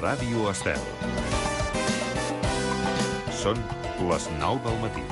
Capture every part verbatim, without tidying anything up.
Ràdio Estel. Són les nou del matí.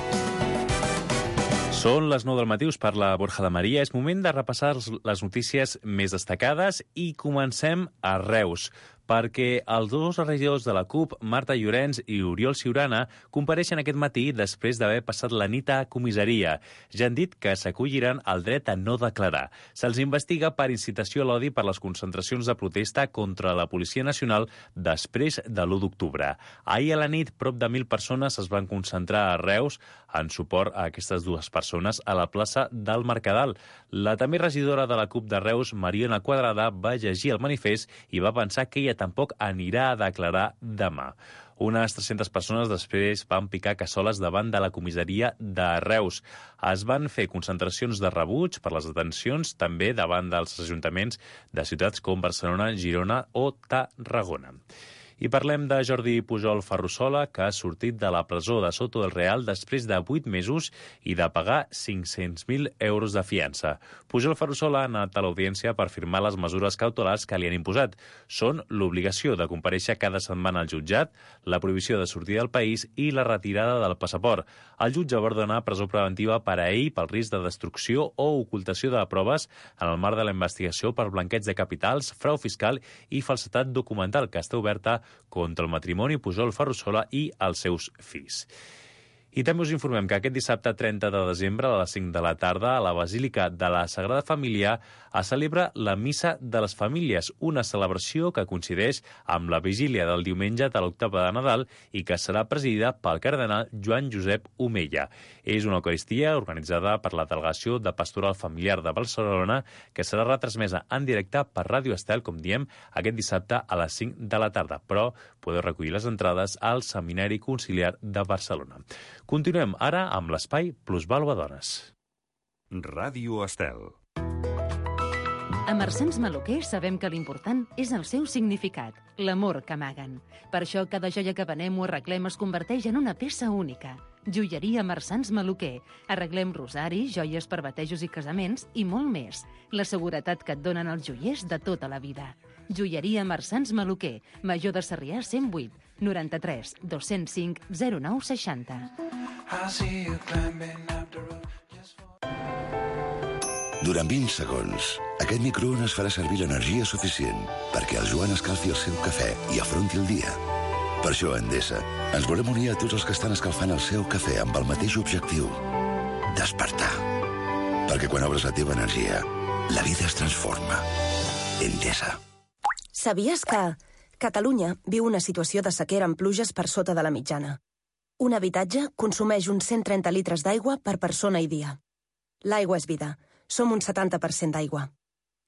Són les nou del matí, us parla Borja de Maria. És moment de repassar les notícies més destacades i comencem a Reus, perquè els dos regidors de la CUP, Marta Llorenç i Oriol Ciurana, compareixen aquest matí després d'haver passat la nit a comissaria. Ja han dit que s'acolliran al dret a no declarar. Se'ls investiga per incitació a l'odi per les concentracions de protesta contra la Policia Nacional després de l'u d'octubre. Ahir a la nit, prop de mil persones es van concentrar a Reus en suport a aquestes dues persones a la plaça del Mercadal. La també regidora de la CUP de Reus, Mariona Quadrada, va llegir el manifest i va pensar que ella tampoc anirà a declarar demà. Unes tres-centes persones després van picar cassoles davant de la comissaria de Reus. Es van fer concentracions de rebuig per les detencions també davant dels ajuntaments de ciutats com Barcelona, Girona o Tarragona. I parlem de Jordi Pujol Ferrusola, que ha sortit de la presó de Soto del Real després de vuit mesos i de pagar cinc-cents mil euros de fiança. Pujol Ferrusola ha anat a l'audiència per firmar les mesures cautelars que li han imposat. Són l'obligació de comparèixer cada setmana al jutjat, la prohibició de sortir del país i la retirada del passaport. El jutge va ordenar presó preventiva per a ell pel risc de destrucció o ocultació de proves en el marc de la investigació per blanqueig de capitals, frau fiscal i falsedat documental, que està oberta contra el matrimoni Pujol Ferrusola i els seus fills. I també us informem que aquest dissabte trenta de desembre a les cinc de la tarda a la Basílica de la Sagrada Família es celebra la Missa de les Famílies, una celebració que coincideix amb la vigília del diumenge de l'octava de Nadal i que serà presidida pel cardenal Joan Josep Omella. És una eucaristia organitzada per la Delegació de Pastoral Familiar de Barcelona que serà retransmesa en directe per Ràdio Estel, com diem, aquest dissabte a les cinc de la tarda, però podeu recollir les entrades al Seminari Conciliar de Barcelona. Continuem ara amb l'espai Plusvàlua Dones. Ràdio Estel. A Marsans Maluquer sabem que l'important és el seu significat, l'amor que amaguen. Per això cada joia que venem o arreglem es converteix en una peça única. Joieria Marsans Maluquer. Arreglem rosaris, joies per batejos i casaments i molt més. La seguretat que et donen els joiers de tota la vida. Joieria Marsans Maluquer, Major de Sarrià cent vuit, noranta-tres, dos-cents cinc, zero nou seixanta. Durant vint segons, aquest microones farà servir l'energia suficient perquè el Joan escalfi el seu cafè i afronti el dia. Per això, a Endesa, ens volem unir a tots els que estan escalfant el seu cafè amb el mateix objectiu: despertar. Perquè quan obres la teva energia, la vida es transforma. Endesa. Sabies que Catalunya viu una situació de sequera amb pluges per sota de la mitjana? Un habitatge consumeix uns cent trenta litres d'aigua per persona i dia. L'aigua és vida. Som un setanta per cent d'aigua.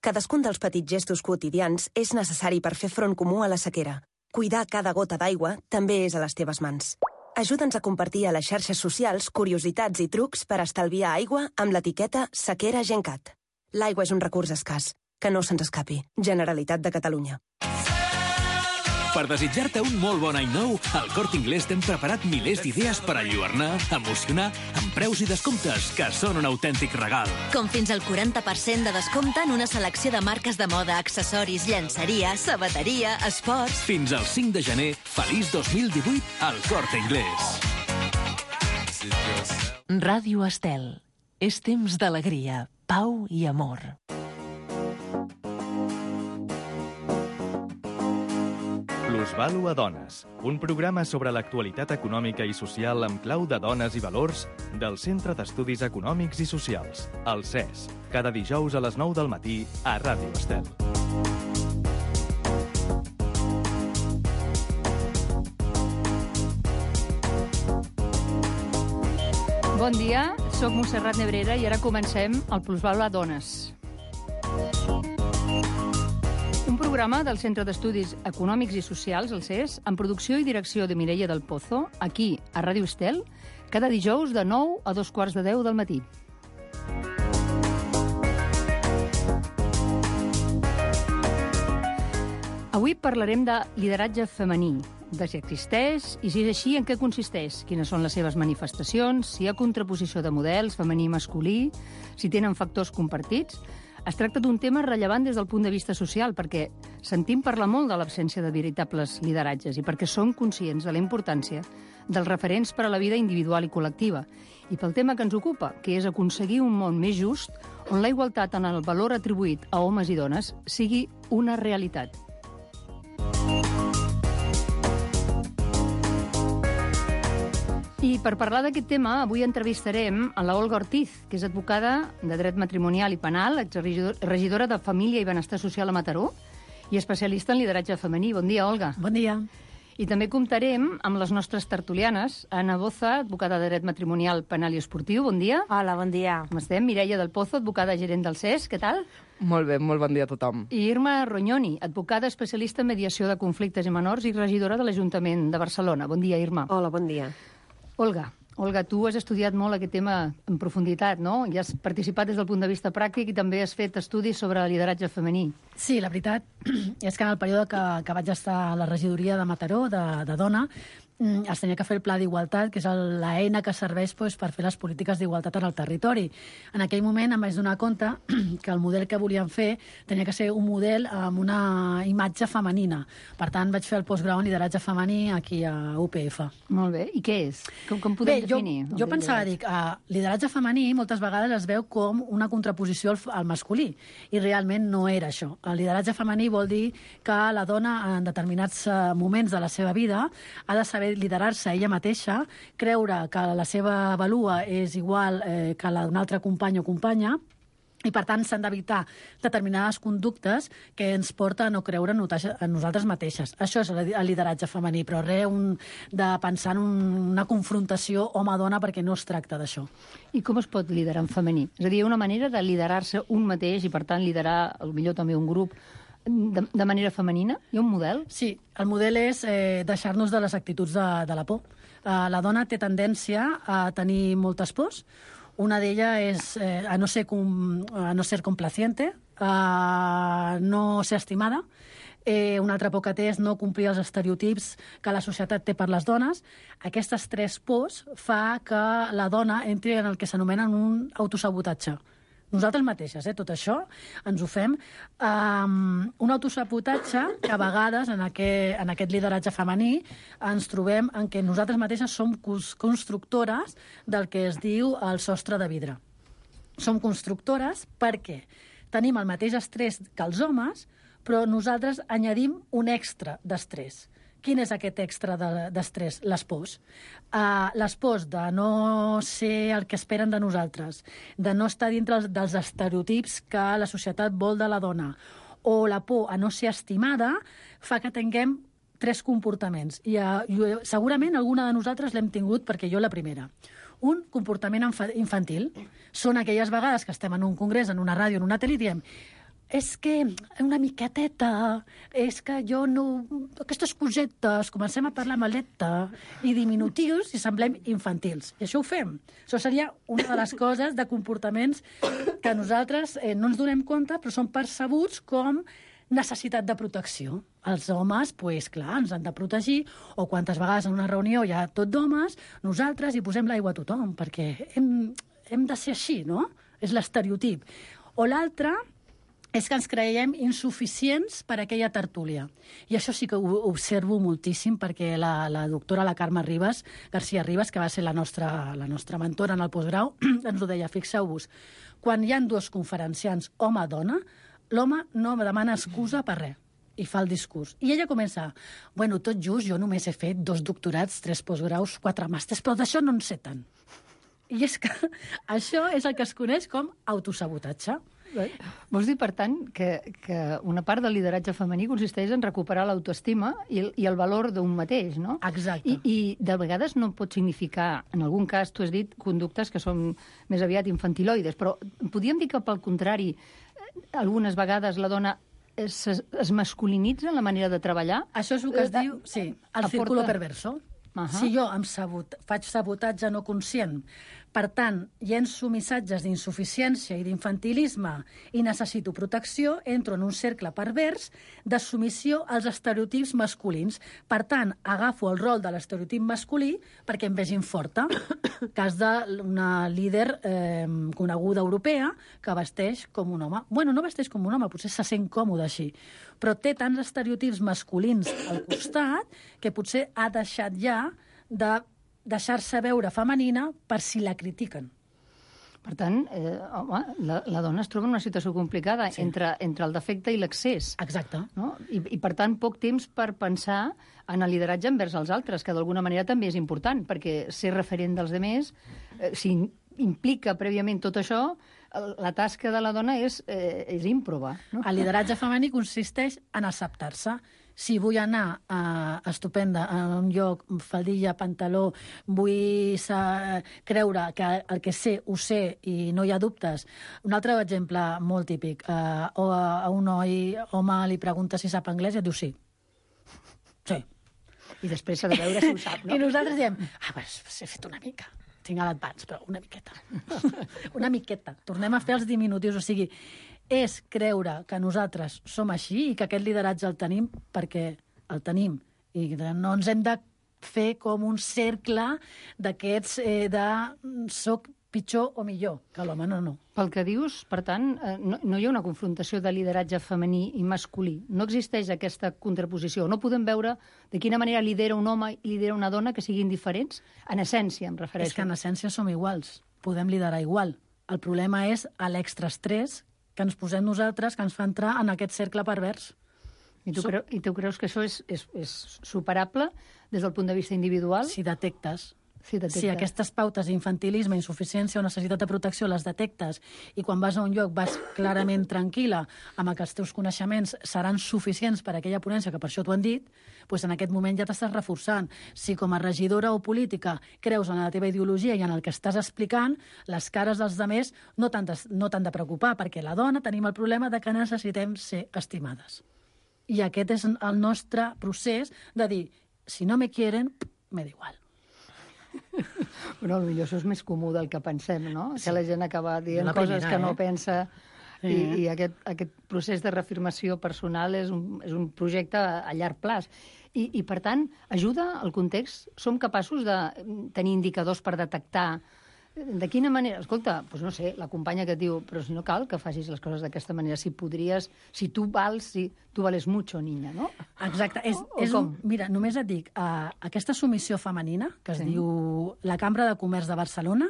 Cadascun dels petits gestos quotidians és necessari per fer front comú a la sequera. Cuidar cada gota d'aigua també és a les teves mans. Ajuda'ns a compartir a les xarxes socials curiositats i trucs per estalviar aigua amb l'etiqueta Sequera Gencat. L'aigua és un recurs escàs. Que no se'ns escapi. Generalitat de Catalunya. Per desitjar-te un molt bon any nou, al Corte Inglés t'hem preparat milers d'idees per alluernar, emocionar, amb preus i descomptes que són un autèntic regal. Com fins al quaranta per cent de descompte en una selecció de marques de moda, accessoris, llenceria, sabateria, esports... Fins al cinc de gener, feliç dos mil divuit al Corte Inglés. Ràdio Estel. És temps d'alegria, pau i amor. Plusvàlua Dones, un programa sobre l'actualitat econòmica i social amb clau de dones i valors del Centre d'Estudis Econòmics i Socials, el C E S, cada dijous a les nou del matí a Ràdio Estel. Bon dia, sóc Montserrat Nebrera i ara comencem el Plusvàlua Dones. Un programa del Centre d'Estudis Econòmics i Socials, el C E S, amb producció i direcció de Mireia del Pozo, aquí, a Ràdio Estel, cada dijous de nou a dos quarts de deu del matí. Avui parlarem de lideratge femení, de si existeix i si és així en què consisteix, quines són les seves manifestacions, si hi ha contraposició de models femení i masculí, si tenen factors compartits. Es tracta d'un tema rellevant des del punt de vista social, perquè sentim parlar molt de l'absència de veritables lideratges i perquè som conscients de la importància dels referents per a la vida individual i col·lectiva. I pel tema que ens ocupa, que és aconseguir un món més just, on la igualtat en el valor atribuït a homes i dones sigui una realitat. I per parlar d'aquest tema, avui entrevistarem a la Olga Ortiz, que és advocada de dret matrimonial i penal, exregidora de Família i Benestar Social a Mataró i especialista en lideratge femení. Bon dia, Olga. Bon dia. I també comptarem amb les nostres tertulianes. Anna Boza, advocada de dret matrimonial, penal i esportiu. Bon dia. Hola, bon dia. Com estem? Mireia del Pozo, advocada gerent del C E S. Què tal? Molt bé, molt bon dia a tothom. I Irma Rognoni, advocada especialista en mediació de conflictes i menors i regidora de l'Ajuntament de Barcelona. Bon dia, Irma. Hola, bon dia. Olga, Olga, tu has estudiat molt aquest tema en profunditat, no? I has participat des del punt de vista pràctic i també has fet estudis sobre lideratge femení. Sí, la veritat és que en el període que, que vaig estar a la regidoria de Mataró, de, de dona, es tenia que fer el Pla d'Igualtat, que és l'eina que serveix doncs, per fer les polítiques d'igualtat en el territori. En aquell moment em vaig donar compte que el model que volíem fer tenia que ser un model amb una imatge femenina. Per tant, vaig fer el postgrau en lideratge femení aquí a U P F. Molt bé. I què és? Com, com podem bé, definir? Jo, jo pensava, dic, uh, lideratge femení moltes vegades es veu com una contraposició al, al masculí, i realment no era això. El lideratge femení vol dir que la dona en determinats uh, moments de la seva vida ha de saber liderar-se ella mateixa, creure que la seva valua és igual eh, que la d'un altre company o companya, i, per tant, s'han d'evitar determinades conductes que ens porta a no creure en nosaltres mateixes. Això és el lideratge femení, però res un, de pensar en una confrontació home-dona, perquè no es tracta d'això. I com es pot liderar en femení? És a dir, una manera de liderar-se un mateix i, per tant, liderar, potser també un grup, de, de manera femenina? Hi ha un model? Sí, el model és eh, deixar-nos de les actituds de, de la por. Uh, la dona té tendència a tenir moltes pors. Una d'elles és eh, a, no ser com, a no ser complaciente, a no ser estimada. Eh, una altra por que té és no complir els estereotips que la societat té per les dones. Aquestes tres pors fa que la dona entri en el que s'anomena un autosabotatge. Nosaltres mateixes, eh, tot això, ens ho fem. Um, un autosabotatge que a vegades, en aquest, en aquest lideratge femení, ens trobem en què nosaltres mateixes som constructores del que es diu el sostre de vidre. Som constructores perquè tenim el mateix estrès que els homes, però nosaltres añadim un extra d'estrès. Quin és aquest extra d'estrès? Les pors. Uh, les pors de no ser el que esperen de nosaltres, de no estar dintre dels estereotips que la societat vol de la dona, o la por a no ser estimada, fa que tinguem tres comportaments. I uh, jo, segurament alguna de nosaltres l'hem tingut, perquè jo la primera. Un comportament infantil. Són aquelles vegades que estem en un congrés, en una ràdio, en una tele, i diem: és que una miqueteta, és que jo no... Aquestes cosetes, comencem a parlar maleta i diminutius i semblem infantils. I això ho fem. Això seria una de les coses de comportaments que nosaltres eh, no ens donem compte, però són percebuts com necessitat de protecció. Els homes, pues, clar, ens han de protegir, o quantes vegades en una reunió hi ha tot d'homes, nosaltres hi posem l'aigua a tothom, perquè hem, hem de ser així, no? És l'estereotip. O l'altre és que ens creiem insuficients per a aquella tertúlia. I això sí que ho observo moltíssim, perquè la, la doctora, la Carme Ribas, García Ribas, que va ser la nostra, la nostra mentora en el postgrau, ens ho deia: fixeu-vos, quan hi ha dos conferenciants home-dona, l'home no demana excusa per res, i fa el discurs. I ella comença: bueno, tot just, jo només he fet dos doctorats, tres postgraus, quatre màsters, però d'això no en sé tant. I és que això és el que es coneix com autosabotatge. Vols dir, per tant, que, que una part del lideratge femení consisteix en recuperar l'autoestima i, i el valor d'un mateix, no? Exacte. I, I de vegades no pot significar, en algun cas, tu has dit, conductes que són més aviat infantiloides, però podríem dir que, pel contrari, algunes vegades la dona es, es masculinitza en la manera de treballar? Això és el que es diu, sí, el círculo perverso. Uh-huh. Si jo em sabot, faig sabotatge no conscient Per tant, llenço missatges d'insuficiència i d'infantilisme i necessito protecció, entro en un cercle pervers de submissió als estereotips masculins. Per tant, agafo el rol de l'estereotip masculí perquè em vegin forta. Cas d'una líder eh, coneguda europea que vesteix com un home. Bueno, no vesteix com un home, potser se sent còmode així, però té tants estereotips masculins al costat que potser ha deixat ja de deixar-se veure femenina per si la critiquen. Per tant, eh, home, la, la dona es troba en una situació complicada sí. entre, entre el defecte i l'excés. Exacte. No? I, I, per tant, poc temps per pensar en el lideratge envers els altres, que d'alguna manera també és important, perquè ser referent dels altres, eh, si implica prèviament tot això, la tasca de la dona és, eh, és ímproba. No? El lideratge femení consisteix en acceptar-se. Si vull anar uh, estupenda a un lloc, faldilla, pantaló, vull sa, creure que el que sé ho sé i no hi ha dubtes. Un altre exemple molt típic. Uh, o a, a un noi, home, li pregunta si sap anglès i et diu sí. Sí. I després s'ha de veure si ho sap, no? I nosaltres diem, ah, pues, he fet una mica. Tinc edat bans, però una miqueta. Una miqueta. Tornem a fer els diminutius. O sigui, és creure que nosaltres som així i que aquest lideratge el tenim perquè el tenim. I no ens hem de fer com un cercle d'aquests eh, de soc pitjor o millor, que l'home no, no. Pel que dius, per tant, eh, no, no hi ha una confrontació de lideratge femení i masculí. No existeix aquesta contraposició. No podem veure de quina manera lidera un home i lidera una dona que siguin diferents. En essència, em refereixo. És que en essència som iguals. Podem liderar igual. El problema és l'extraestrès que ens posem nosaltres, que ens fa entrar en aquest cercle pervers. I tu, so... creu, i tu creus que això és, és, és superable des del punt de vista individual? Si detectes. Si, si aquestes pautes d'infantilisme, insuficiència o necessitat de protecció les detectes i quan vas a un lloc vas clarament tranquil·la amb que els teus coneixements seran suficients per a aquella ponència, que per això t'ho han dit, doncs en aquest moment ja t'estàs reforçant. Si com a regidora o política creus en la teva ideologia i en el que estàs explicant, les cares dels altres no t'han de, no t'han de preocupar, perquè la dona tenim el problema de que necessitem ser estimades. I aquest és el nostre procés de dir, si no me quieren, me da igual. Però potser això és més comú del que pensem, no? Sí. Que la gent acaba dient la coses primera, que no eh? pensa sí. i, i aquest, aquest procés de reafirmació personal és un, és un projecte a llarg plaç. I, I, per tant, ajuda al context? Som capaços de tenir indicadors per detectar de quina manera... Escolta, doncs no sé, la companya que et diu però si no cal que facis les coses d'aquesta manera, si podries, si tu vals, si tu vales mucho, niña, no? Exacte. És, o, o és un, mira, només et dic, uh, aquesta submissió femenina, que es sí. diu la Cambra de Comerç de Barcelona,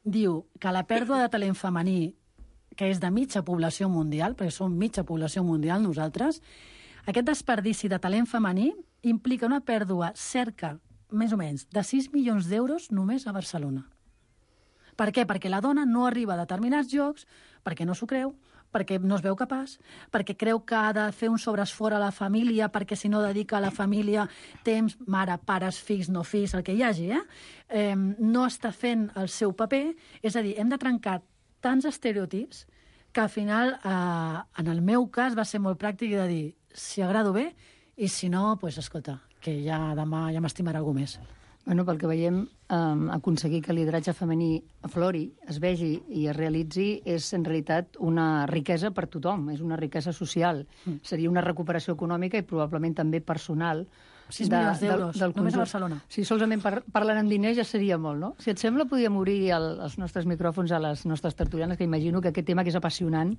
diu que la pèrdua de talent femení, que és de mitja població mundial, perquè som mitja població mundial nosaltres, aquest desperdici de talent femení implica una pèrdua cerca, més o menys, de sis milions d'euros només a Barcelona. Per què? Perquè la dona no arriba a determinats llocs, perquè no s'ho creu, perquè no es veu capaç, perquè creu que ha de fer un sobreesforç a la família, perquè si no dedica a la família temps, mare, pares, fills, no fills, el que hi hagi, eh? eh no està fent el seu paper. És a dir, hem de trencar tants estereotips que al final, eh, en el meu cas, va ser molt pràctic de dir, si agrado bé, i si no, doncs, escolta, que ja demà ja m'estimarà algú més. Bueno, pel que veiem, eh, aconseguir que el lideratge femení aflori, es vegi i es realitzi és, en realitat, una riquesa per tothom, és una riquesa social. Mm. Seria una recuperació econòmica i probablement també personal. sis milions d'euros, només a Barcelona. Si solament par parlen en diners ja seria molt, no? Si et sembla, podríem obrir el, els nostres micròfons a les nostres tertulianes, que imagino que aquest tema, que és apassionant,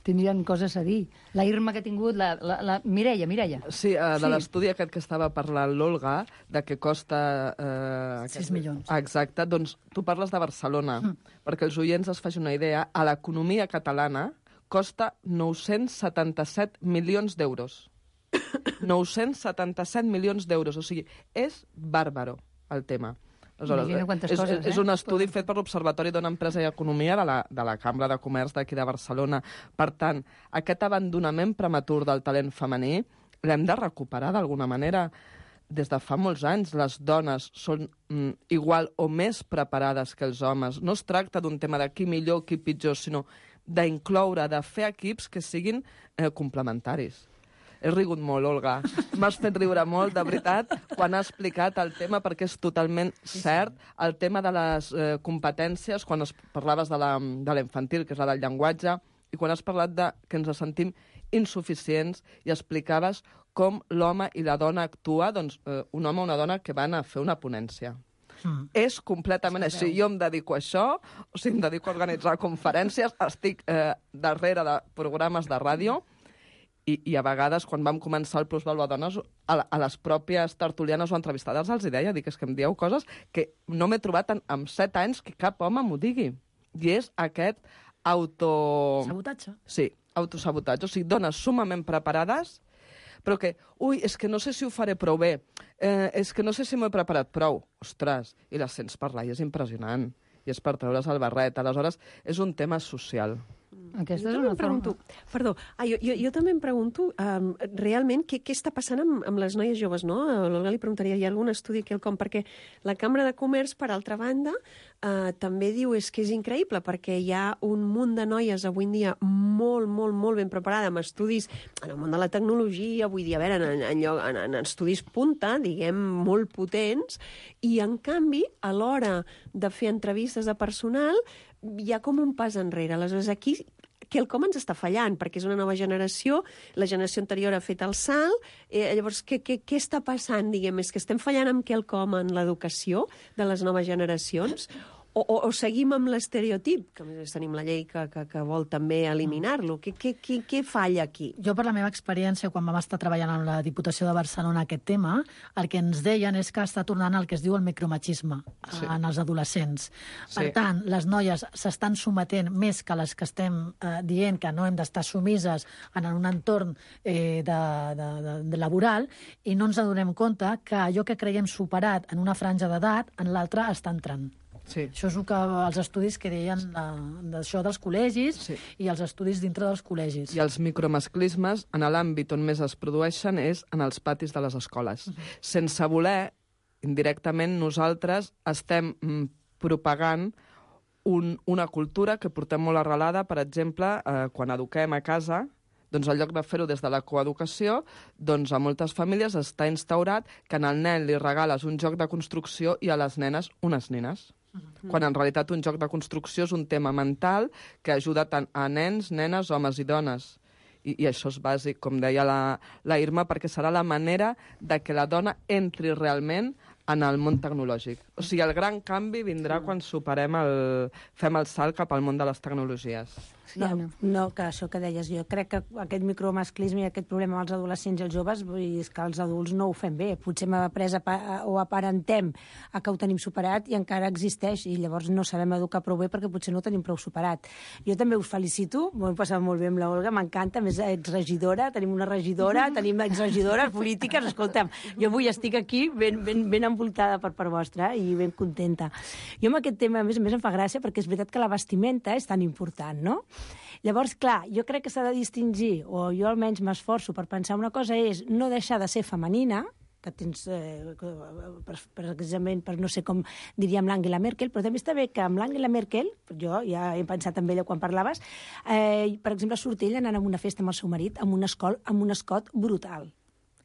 tindrien coses a dir. La Irma que ha tingut, la, la, la Mireia, Mireia. Sí, uh, de sí. l'estudi aquest que estava parlant l'Olga, de que costa... Uh, sis milions. Exacte, doncs tu parles de Barcelona, mm. perquè els oients es facin una idea, a l'economia catalana costa nou-cents setanta-set milions d'euros. nou-cents setanta-set milions d'euros, o sigui, és bàrbaro el tema. Aleshores, és, coses, eh? és un estudi fet per l'Observatori d'una Empresa i Economia de la, de la Cambra de Comerç d'aquí de Barcelona. Per tant, aquest abandonament prematur del talent femení l'hem de recuperar d'alguna manera. Des de fa molts anys les dones són mm, igual o més preparades que els homes. No es tracta d'un tema de qui millor, qui pitjor, sinó d'incloure, de fer equips que siguin eh, complementaris. He rigut molt, Olga. M'has fet riure molt, de veritat, quan has explicat el tema, perquè és totalment cert. El tema de les eh, competències, quan es parlaves de la, de la infantil, que és la del llenguatge, i quan has parlat de que ens sentim insuficients i explicaves com l'home i la dona actua, doncs eh, un home o una dona que van a fer una ponència. Mm. És completament així. Jo em dedico a això, o sigui, em dedico a organitzar conferències, estic eh, darrere de programes de ràdio, i, i a vegades, quan vam començar el Plusvàlua Dones, a, a les pròpies tertulianes o entrevistades els hi deia, dic, és que em dieu coses que no m'he trobat en, en set anys que cap home m'ho digui. I és aquest auto... Sabotatge. Sí, autosabotatge. O sigui, dones sumament preparades, però que, ui, és que no sé si ho faré prou bé, eh, és que no sé si m'ho he preparat prou. Ostres, i les sents parlar i és impressionant. I és per treure's el barret. Aleshores, és un tema social. Aquesta jo és una em pregunto, forma... Perdó, ah, jo, jo, jo també em pregunto um, realment què, què està passant amb, amb les noies joves, no? A l'Olga li preguntaria, hi ha algun estudi aquí al com? Perquè la Cambra de Comerç, per altra banda, uh, també diu és que és increïble, perquè hi ha un munt de noies avui en dia molt, molt, molt ben preparada amb estudis en el món de la tecnologia, vull dir, a veure, en, en, lloc, en, en estudis punta, diguem, molt potents, i en canvi, a l'hora de fer entrevistes de personal, hi ha com un pas enrere. Aleshores, aquí quelcom ens està fallant, perquè és una nova generació, la generació anterior ha fet el salt, eh, llavors, què, què, què està passant, diguem? És que estem fallant amb quelcom en l'educació de les noves generacions? O, o, o seguim amb l'estereotip, que a més tenim la llei que, que, que vol també eliminar-lo. Què, què, què, què falla aquí? Jo, per la meva experiència, quan vam estar treballant amb la Diputació de Barcelona aquest tema, el que ens deien és que està tornant el que es diu el micromachisme sí. en els adolescents. Sí. Per tant, les noies s'estan sometent més que les que estem eh, dient que no hem d'estar sumises en un entorn eh, de, de, de, de laboral, i no ens adonem compte que allò que creiem superat en una franja d'edat, en l'altra està entrant. Sí. Això és el que els estudis que deien d'això dels col·legis sí. i els estudis dintre dels col·legis. I els micromasclismes, en l'àmbit on més es produeixen, és en els patis de les escoles. Uh-huh. Sense voler, indirectament, nosaltres estem mm, propagant un, una cultura que portem molt arrelada, per exemple, eh, quan eduquem a casa, doncs en lloc de fer-ho des de la coeducació, doncs a moltes famílies està instaurat que al nen li regales un joc de construcció i a les nenes unes nines. Mm-hmm. Quan en realitat un joc de construcció és un tema mental que ajuda tant a nens, nenes, homes i dones. I, i això és bàsic, com deia la, la Irma, perquè serà la manera de que la dona entri realment en el món tecnològic. O sigui, el gran canvi vindrà quan superem el, fem el salt cap al món de les tecnologies. No, no, que això que deies, jo crec que aquest micromasclisme i aquest problema amb els adolescents i els joves, vull dir, és que els adults no ho fem bé. Potser hem après o aparentem a que ho tenim superat i encara existeix, i llavors no sabem educar prou bé perquè potser no ho tenim prou superat. Jo també us felicito, m'ho he passat molt bé amb l'Olga, m'encanta, més exregidora, tenim una regidora, tenim exregidores polítiques, escolta'm, jo avui estic aquí ben, ben, ben envoltada per part vostra i ben contenta. Jo amb aquest tema, a més a més, em fa gràcia perquè és veritat que la vestimenta és tan important, no? Llavors, clar, jo crec que s'ha de distingir, o jo almenys m'esforço per pensar una cosa, és no deixar de ser femenina, que tens, eh, precisament per no sé com diríem l'Angela Merkel, però també està bé que amb l'Angela Merkel, jo ja he pensat en ella quan parlaves, eh, per exemple, surt ella anant a una festa amb el seu marit amb un, escol, amb un escot brutal.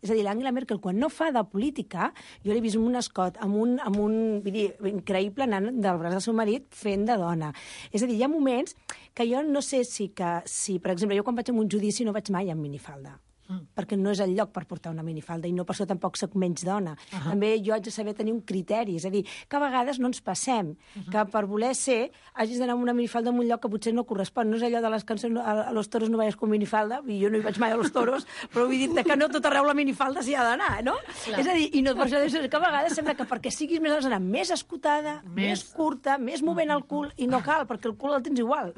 És a dir, l'Angela Merkel, quan no fa de política, jo l'he vist amb un escot, amb un, amb un vull dir, increïble anant del braç del seu marit fent de dona. És a dir, hi ha moments que jo no sé si, que, si per exemple, jo quan vaig a un judici no vaig mai amb minifalda. Mm. Perquè no és el lloc per portar una minifalda i no per això tampoc soc menys dona. Uh -huh. També jo haig de saber tenir un criteri, és a dir, que a vegades no ens passem, uh -huh. que per voler ser hagis d'anar amb una minifalda en un lloc que potser no correspon. No és allò de les cançons a, a los toros no vayas con minifalda, i jo no hi vaig mai a los toros, però vull dir que no tot arreu la minifalda s'hi ha d'anar, no? Clar. És a dir, i no per això és que a vegades sembla que perquè siguis més has d'anar més escotada, més, més curta, més movent el cul, i no cal, perquè el cul el tens igual.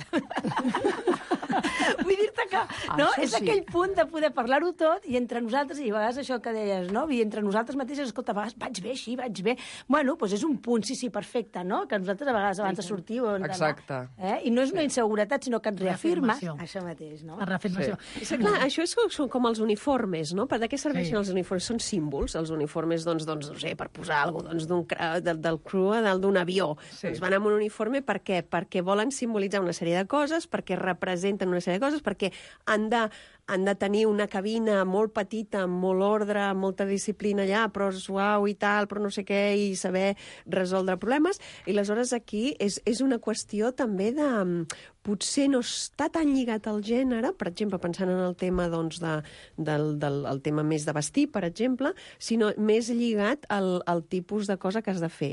Vull dir-te que no? És sí. Aquell punt de poder parlar-ho tot i entre nosaltres, i a vegades això que deies, no? I entre nosaltres mateixes, escolta, a vegades vaig bé, així, vaig bé. Bueno, doncs és un punt, sí, sí, perfecte, no? Que nosaltres a vegades abans de sortir o exacte. Eh? I no és una inseguretat, sinó que et reafirmes. Això mateix, no? La reafirmació. Sí. Sí, clar, això és, són com els uniformes, no? Per de què serveixen sí. els uniformes? Són símbols, els uniformes, doncs, doncs no sé, per posar alguna cosa, doncs, del, del crew a dalt d'un avió. Sí. Doncs van amb un uniforme per què? Perquè volen simbolitzar una sèrie de coses, perquè representen una sèrie de coses, perquè han de han de tenir una cabina molt petita, amb molt ordre, amb molta disciplina allà, però suau i tal, però no sé què, i saber resoldre problemes. I aleshores aquí és, és una qüestió també de... potser no està tan lligat al gènere, per exemple, pensant en el tema, doncs, de, del, del el tema més de vestir, per exemple, sinó més lligat al, al tipus de cosa que has de fer.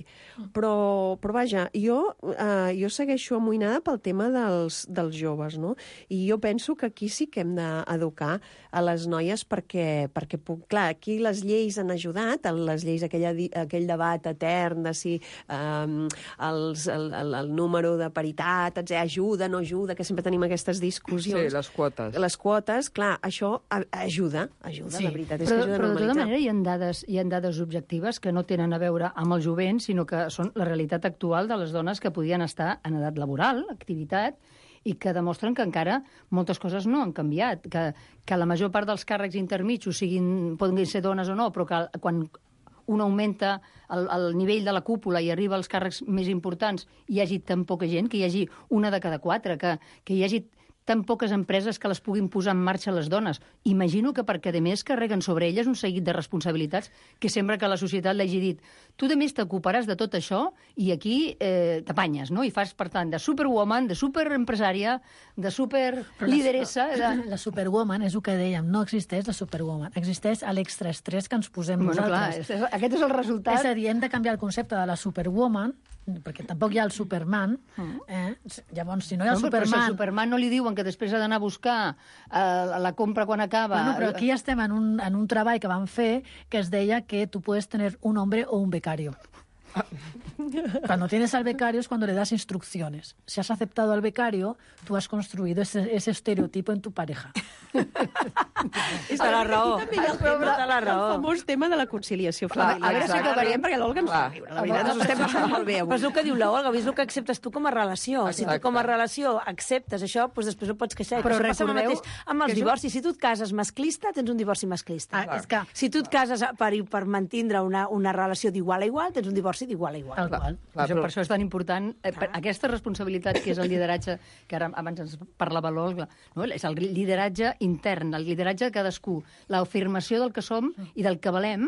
Però, però vaja, jo, eh, jo segueixo amoïnada pel tema dels, dels joves, no? I jo penso que aquí sí que hem d'educar a les noies perquè, perquè puc, clar, aquí les lleis han ajudat, les lleis, aquella, aquell debat etern de si eh, els, el, el, el número de paritat, etcètera, ajuda, no ajuda, que sempre tenim aquestes discussions. Sí, les quotes. Les quotes, clar, això ajuda, ajuda, sí. La veritat és però, que ajuda a però de tota normalitzar. manera hi ha, dades, hi ha dades objectives que no tenen a veure amb el jovent, sinó que són la realitat actual de les dones que podien estar en edat laboral, activitat, i que demostren que encara moltes coses no han canviat, que, que la major part dels càrrecs intermitjos siguin, poden ser dones o no, però que quan un augmenta el, el nivell de la cúpula i arriba als càrrecs més importants, hi hagi tan poca gent, que hi hagi una de cada quatre, que, que hi hagi tan poques empreses que les puguin posar en marxa les dones. Imagino que perquè, a més, carreguen sobre elles un seguit de responsabilitats que sembla que la societat l'hagi dit. Tu, a més, t'ocuparàs de tot això i aquí eh, t'apanyes, no? I fas, per tant, de superwoman, de superempresària, de superlideressa... La, de... la superwoman és el que dèiem, no existeix la superwoman. Existeix l'extraestrès que ens posem bueno, nosaltres. Clar, aquest és el resultat. És a dir, hem de canviar el concepte de la superwoman, perquè tampoc hi ha el Superman. Eh? Llavors, si no hi ha el no, Superman... Però si al Superman no li diuen que després ha d'anar a buscar eh, la compra quan acaba... Bueno, però aquí estem en un, en un treball que vam fer que es deia que tu puedes tener un hombre o un becario. Cuando tienes al becario es cuando le das instrucciones. Si has aceptado al becario, tú has construido ese, ese estereotipo en tu pareja. És la raó. També hi ha el, tema, el famós tema de la conciliació familiar. A veure si acabaríem, perquè l'Olga ens fa riure. La veritat, ens ho estem passant molt bé avui. Però és el que diu l'Olga, és el que acceptes tu com a relació. Si tu com a relació acceptes això, doncs després no pots queixar. Però això passa el recordeu mateix amb els divorcis. Si tu et cases masclista, tens un divorci masclista. Ah, és que... Si tu et cases per, per mantindre una, una relació d'igual a igual, tens un divorci d'igual a igual. Tal qual. Clar, això, però... Per això és tan important eh, per aquesta responsabilitat que és el lideratge, que ara abans ens parlava l'Olga, no? És el lideratge intern, el lideratge de cadascú, l'afirmació del que som i del que valem,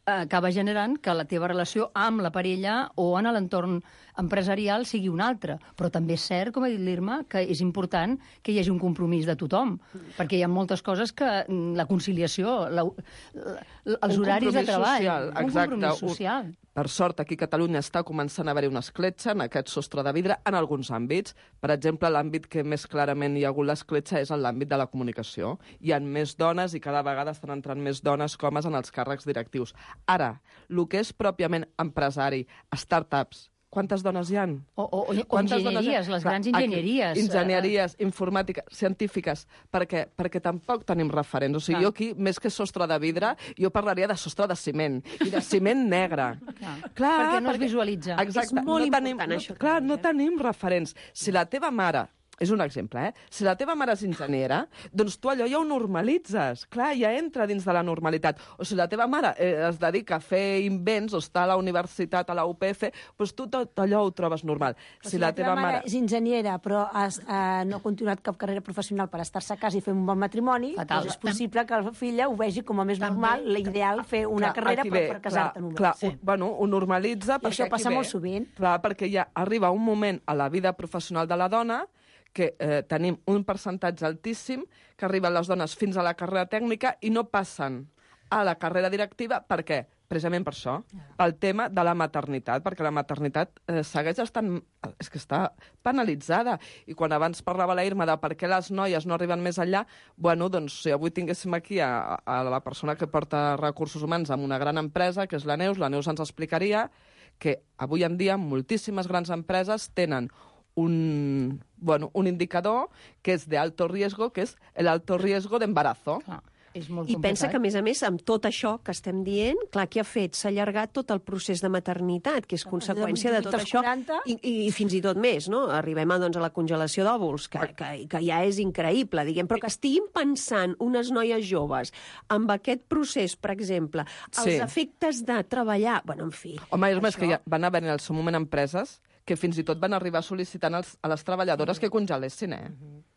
eh, acaba generant que la teva relació amb la parella o en l'entorn empresarial sigui una altra. Però també és cert, com ha dit l'Irma, que és important que hi hagi un compromís de tothom, perquè hi ha moltes coses que la conciliació, la, la, els un horaris de treball, social, un exacte, compromís social. Un, per sort, aquí a Catalunya està començant a haver-hi una escletxa en aquest sostre de vidre en alguns àmbits. Per exemple, l'àmbit que més clarament hi ha hagut l'escletxa és en l'àmbit de la comunicació. Hi ha més dones i cada vegada estan entrant més dones que homes en els càrrecs directius. Ara, el que és pròpiament empresari, startups, quantes dones hi ha? O, o, o enginyeries, les grans enginyeries. Enginyeries, informàtiques, científiques, perquè, perquè tampoc tenim referents. O sigui, clar. Jo aquí, més que sostre de vidre, jo parlaria de sostre de ciment, i de ciment negre. Clar. Clar, perquè no perquè, es visualitza. Exacte, és molt no important, tenim, això. No, clar, no tenim referents. Si la teva mare... És un exemple, eh? Si la teva mare és enginyera, doncs tu allò ja ho normalitzes. Clar, ja entra dins de la normalitat. O si la teva mare eh, es dedica a fer invents o està a la universitat, a la U P F, doncs tu tot allò ho trobes normal. Si, si la, la teva mare, mare és enginyera, però has, eh, no ha continuat cap carrera professional per estar-se a casa i fer un bon matrimoni, doncs és possible que la filla ho vegi com a més També. normal, l'ideal, fer una clar, carrera per, per casar-te només. Clar, sí. ho, bueno, ho normalitza... I això passa molt sovint. Clar, perquè ja arriba un moment a la vida professional de la dona que eh, tenim un percentatge altíssim que arriben les dones fins a la carrera tècnica i no passen a la carrera directiva. Per què? Precisament per això, pel tema de la maternitat, perquè la maternitat eh, segueix estant... És que està penalitzada. I quan abans parlava la Irma de per què les noies no arriben més enllà, bueno, doncs si avui tinguéssim aquí a, a la persona que porta recursos humans en una gran empresa, que és la Neus, la Neus ens explicaria que avui en dia moltíssimes grans empreses tenen un, bueno, un indicador que és de alto riesgo, que és el alto riesgo d'embarazo. Ah, és molt I complicat. pensa que, a més a més, amb tot això que estem dient, clar, què ha fet? S'ha allargat tot el procés de maternitat, que és conseqüència de tot això, i, i fins i tot més, no? Arribem a, doncs, a la congelació d'òvuls, que, que, que ja és increïble, diguem, però que estiguin pensant unes noies joves amb aquest procés, per exemple, els Sí. efectes de treballar... Bueno, en fi... Home, és més això... que ja van haver en el seu moment empreses que fins i tot van arribar sol·licitant als, a les treballadores que congelessin, eh?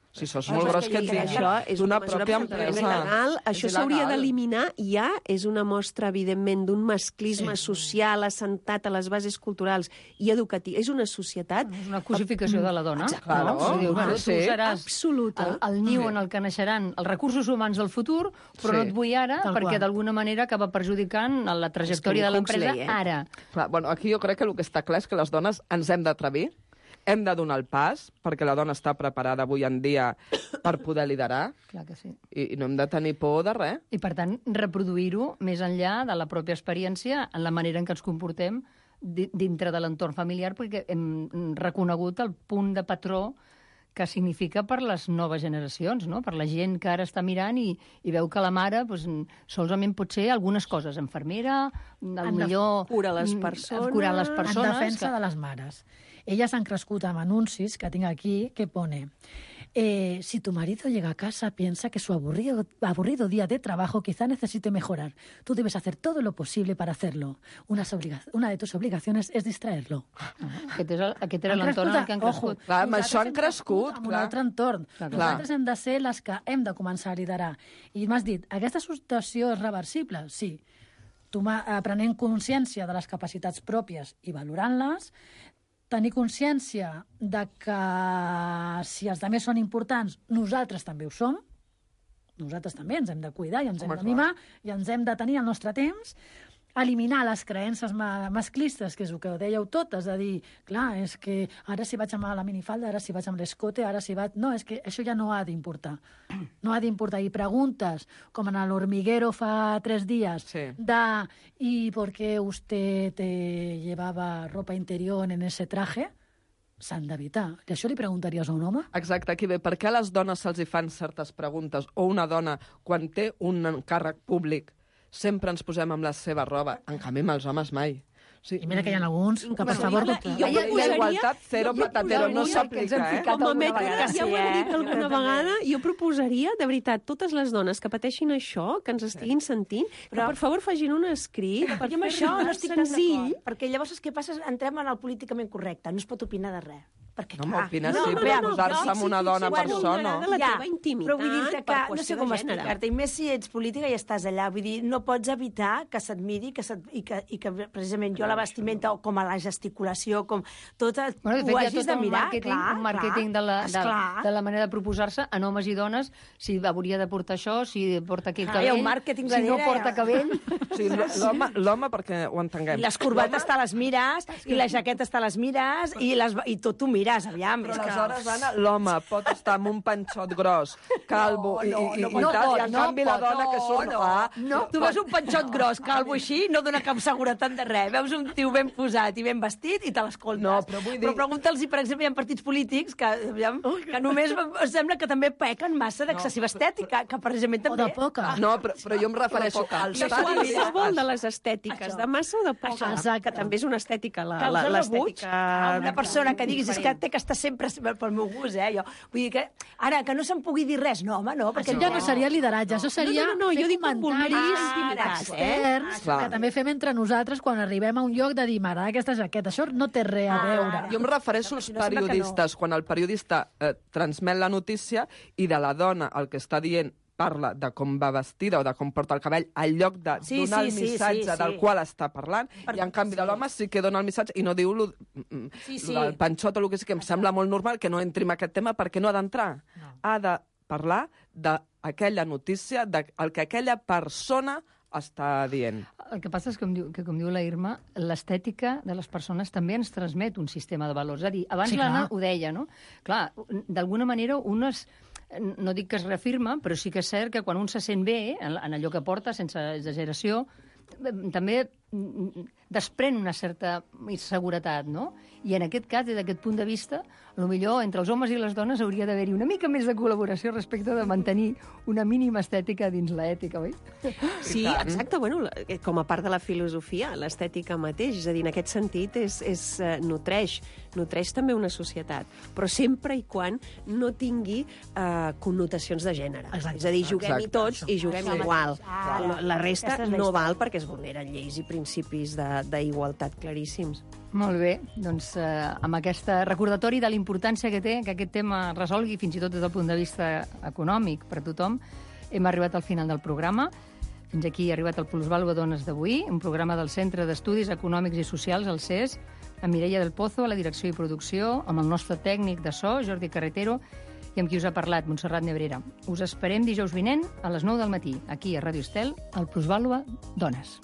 O Si això és molt gros que et digui això és d'una una mesura pròpia perfectament empresa. legal. Això És s'hauria il·legal. d'eliminar. Ja és una mostra, evidentment, d'un masclisme Sí. social assentat a les bases culturals i educatives. És una societat... És una cosificació de la dona. Exacte. No? Claro. O sigui, bueno, tu Sí. seràs Absoluta. el, el niu Sí. en el que naixeran els recursos humans del futur, però Sí. no et vull ara, Tal perquè qual. d'alguna manera acaba perjudicant la trajectòria de l'empresa Huxley, eh? ara. Clar, bueno, aquí jo crec que el que està clar és que les dones ens hem d'atrevir, hem de donar el pas, perquè la dona està preparada avui en dia per poder liderar, Clar que sí. i, i no hem de tenir por de res. I, per tant, reproduir-ho més enllà de la pròpia experiència en la manera en què ens comportem di- dintre de l'entorn familiar, perquè hem reconegut el punt de patró que significa per les noves generacions, no? Per la gent que ara està mirant i, i veu que la mare pues, solament pot ser algunes coses, infermera, En al def- millor... Cura les mm, persones. Curar les persones. En defensa que... de les mares. Elles han crescut amb anuncis que tinc aquí que pone eh, si tu marido llega a casa piensa que su aburrido, aburrido día de trabajo quizá necesite mejorar. Tú debes hacer todo lo posible para hacerlo. Una, obliga una de tus obligaciones es distraerlo. Ah, aquest, és el, aquest era Han l'entorn en el que han ojo, crescut. Clar, amb nosaltres això han hem crescut, amb un clar. altre entorn. Clar, clar. Nosaltres hem de ser les que hem de començar a liderar. I m'has dit, aquesta situació és reversible? Sí. Tomar, eh, prenent consciència de les capacitats pròpies i valorant-les, tenir consciència de que si els altres són importants, nosaltres també ho som, nosaltres també ens hem de cuidar i ens hem Home, de mimar i ens hem de tenir el nostre temps, eliminar les creences ma masclistes, que és el que dèieu totes, de dir, clar, és que ara si vaig amb la minifalda, ara si vaig amb l'escote, ara si vaig... No, és que això ja no ha d'importar. No ha d'importar. I preguntes, com en l'hormiguero fa tres dies, Sí. de ¿y por qué usted eh, llevaba ropa interior en ese traje? S'han d'evitar. I això li preguntaries a un home? Exacte, aquí ve. Per què a les dones se'ls hi fan certes preguntes? O una dona, quan té un càrrec públic, sempre ens posem amb la seva roba. En canvi, amb els homes mai. Sí. I mira que hi ha alguns que, per Bueno, favor... i la- i jo doctor- proposaria- la igualtat zero patatero no s'aplica, eh? Home, Met, vegada, ja ho sí, he dit eh? alguna vegada, jo proposaria, de veritat, totes les dones que pateixin això, que ens estiguin sentint, que per favor facin un escrit per Jo amb això no estic tan senzill. d'acord, perquè llavors és que passa, entrem en el políticament correcte, no es pot opinar de res. Perquè, No, clar, m'opines no, sí, no, però no, no, posar-se no, amb una sí, dona sí, per bueno, això, no. m'agrada la teva intimitat però vull dir-te que per no sé qüestió com de gènere. explicar-te, i més si ets política i estàs allà, vull dir, no pots evitar que s'admiri que se't, i, que, i que precisament jo la vestimenta o com a la gesticulació, com tot el, Bueno, de ho fet, hi ha hagis tot de un mirar, màrqueting, clar, un màrqueting de, la, de, esclar. de la manera de proposar-se en homes i dones, si hauria de portar això, si porta aquí el Ah, hi ha cabell, un màrqueting si no darrere, porta ja. cabell... Sí, l'home, l'home, perquè ho entenguem. I les corbates te les mires, i les jaquetes te les mires, i, les, i tot t'ho mires, aviam. Però és que- aleshores, Anna, l'home pot estar amb un panxot gros, calvo i, i, i, i no tal, pot, i en no canvi la pot, dona que surt... no, Ah, no. Tu veus un panxot gros, calvo així, no dona cap seguretat de res. Veus un tio ben posat i ben vestit i te l'escoltes. No, però vull dir- Però pregunta'ls si, per exemple, hi ha partits polítics que, aviam, que només sembla que també pequen massa d'excessiva estètica, que precisament també... O de poca. No, però, però jo em refereixo als De estadis. qualsevol de les estètiques, Això. de massa o de poca, Exacte. que també és una estètica, la- Que els la- ha rebut l'estètica... a una persona que diguis és que té que estar sempre pel meu gust, eh? Jo, vull dir que, ara, que no se'n pugui dir res, no, home, no, perquè... Això ja no seria lideratge, això seria No, no, no, fer jo dic com comentaris vulneris intimitats, eh? externs Clar. que també fem entre nosaltres quan arribem a un lloc de dir, m'agrada aquesta jaqueta. Això no té res a veure. Jo em refereixo als si no sembla que periodistes, quan el periodista eh, transmet la notícia i de la dona el que està dient parla de com va vestida o de com porta el cabell al lloc de Sí, donar sí, el sí, missatge sí, sí. del qual està parlant, Per- i en canvi sí. de l'home sí que dona el missatge i no diu lo, mm, Sí, sí. lo del panxot o el que sí, que em sembla molt normal que no entri en aquest tema perquè no ha d'entrar. No. Ha de parlar d'aquella notícia, del que aquella persona està dient. El que passa és que, com diu, que, com diu la Irma, l'estètica de les persones també ens transmet un sistema de valors. És a dir, abans Sí, sí, l'Anna clar. ho deia, no? Clar, d'alguna manera un es, no dic que es reafirma, però sí que és cert que quan un se sent bé, en, en allò que porta, sense exageració, també desprèn una certa inseguretat, no? I en aquest cas, des d'aquest punt de vista, potser entre els homes i les dones hauria d'haver-hi una mica més de col·laboració respecte de mantenir una mínima estètica dins l'ètica, oi? Sí, exacte, bueno, la- eh, com a part de la filosofia, l'estètica mateix, és a dir, en aquest sentit és, és, eh, nutreix, nutreix també una societat, però sempre i quan no tingui eh, connotacions de gènere. Exacte. És a dir, juguem-hi Exacte. tots i juguem Això igual. mateix. Ah, la, la resta aquesta és la no història. val perquè es vulneren lleis i principis d'igualtat claríssims. Molt bé, doncs eh, amb aquest recordatori de l'importància que té que aquest tema resolgui, fins i tot des del punt de vista econòmic per a tothom, hem arribat al final del programa. Fins aquí ha arribat el Plusvàlua Dones d'avui, un programa del Centre d'Estudis Econòmics i Socials, el C E S, amb Mireia del Pozo a la direcció i producció, amb el nostre tècnic de so, Jordi Carretero, i amb qui us ha parlat, Montserrat Nebrera. Us esperem dijous vinent a les nou del matí, aquí a Ràdio Estel, al Plusvàlua Dones.